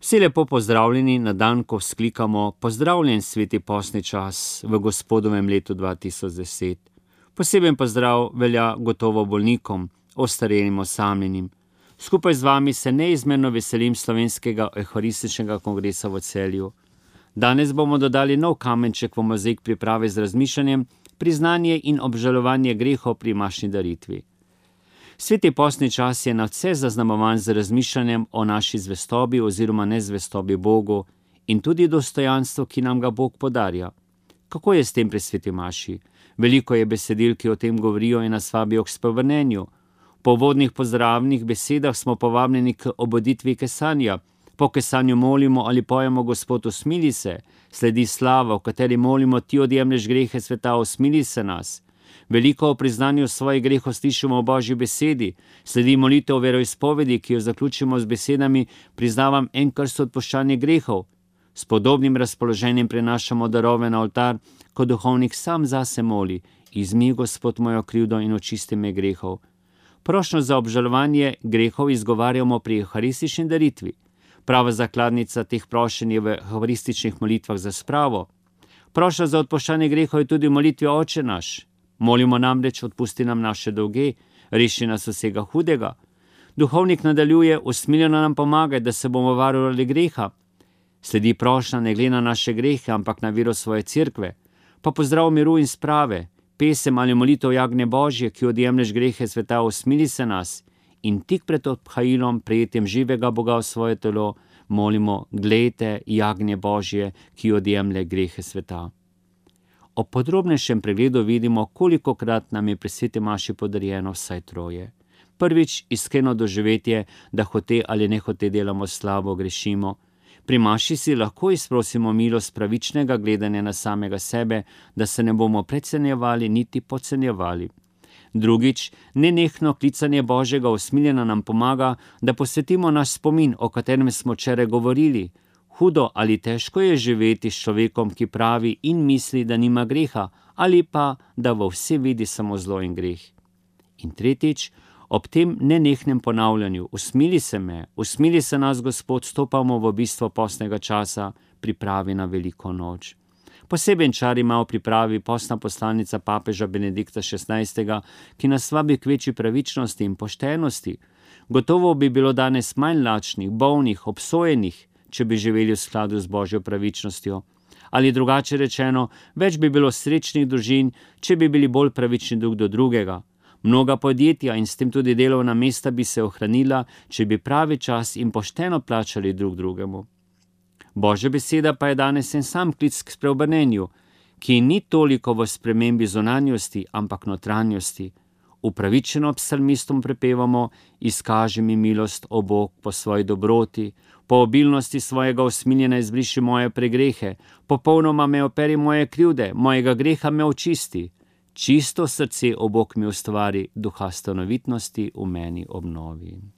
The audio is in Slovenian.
Vsi lepo pozdravljeni na dan, ko vzklikamo pozdravljen sveti postni čas v Gospodovem letu 2010. Poseben pozdrav velja gotovo bolnikom, ostarelim, osamljenim. Skupaj z vami se neizmerno veselim slovenskega euharističnega kongresa v Celju. Danes bomo dodali nov kamenček v mozaik priprave z razmišljanjem, priznanje in obžalovanje grehov pri mašni daritvi. Sveti postni čas je nadvse zaznamovan z razmišljanjem o naši zvestobi oziroma nezvestobi Bogu in tudi dostojanstvo, ki nam ga Bog podarja. Kako je s tem pri sveti maši? Veliko je besedil, ki o tem govorijo in nas vabijo k spovrnenju. Po uvodnih pozdravnih besedah smo povabljeni k obuditvi kesanja. Po kesanju molimo ali pojemo Gospod, usmili se, sledi slava, v kateri molimo, ti odjemlješ grehe sveta, usmili se nas. Veliko o priznanju svojih grehov slišimo v Božji besedi, sledi molitev o veroizpovedi, ki jo zaključimo z besedami: priznavam en krst odpuščanje grehov. S podobnim razpoloženjem prenašamo darove na oltar, ko duhovnik sam zase moli: izmij, Gospod, mojo krivdo in očisti me grehov. Prošnjo za obžalovanje grehov izgovarjamo pri euharistični daritvi. Prava zakladnica teh prošenj je v euharističnih molitvah za spravo. Prošnja za odpuščanje grehov je tudi v molitvi Oče naš. Molimo namreč: odpusti nam naše dolge, reši nas vsega hudega. Duhovnik nadaljuje: usmiljeno nam pomagaj, da se bomo varovali greha. Sledi prošnja ne glede na naše grehe, ampak na vero svoje cerkve. Pa pozdrav miru in sprave, pesem ali molitev Jagnje Božje, ki odjemlješ grehe sveta, usmili se nas. In tik pred obhajilom, prejetjem živega Boga v svoje telo, molimo: glejte, Jagnje Božje, ki odjemlje grehe sveta. Ob podrobnejšem pregledu vidimo, kolikokrat nam je pri sveti maši podarjeno vsaj troje. Prvič, iskreno doživetje, da hote ali nehote delamo slabo, grešimo. Pri maši si lahko izprosimo milost pravičnega gledanja na samega sebe, da se ne bomo precenjevali niti podcenjevali. Drugič, nenehno klicanje Božjega usmiljena nam pomaga, da posvetimo naš spomin, o katerem smo včeraj govorili. Hudo ali težko je živeti s človekom, ki pravi in misli, da nima greha, ali pa da v vse vidi samo zlo in greh. In tretjič, ob tem nenehnem ponavljanju: usmili se me, usmili se nas, Gospod, stopamo v bistvo postnega časa, pripravi na veliko noč. Poseben čar ima v pripravi postna poslanica papeža Benedikta XVI., ki nas vabi k večji pravičnosti in poštenosti. Gotovo bi bilo danes manj lačnih, bolnih, obsojenih, če bi živeli v skladu z Božjo pravičnostjo. Ali drugače rečeno, več bi bilo srečnih družin, če bi bili bolj pravični drug do drugega. Mnoga podjetja in s tem tudi delovna mesta bi se ohranila, če bi pravi čas in pošteno plačali drug drugemu. Božja beseda pa je danes en sam klic k spreobrnenju, ki ni toliko v spremembi zunanjosti, ampak notranjosti. Upravičeno psalmistom prepevamo: izkaži mi milost, o Bog, po svoji dobroti, po obilnosti svojega usmiljena izbriši moje pregrehe, popolnoma me operi moje krivde, mojega greha me očisti. Čisto srce, o Bog, mi ustvari, duha stanovitnosti v meni obnovi.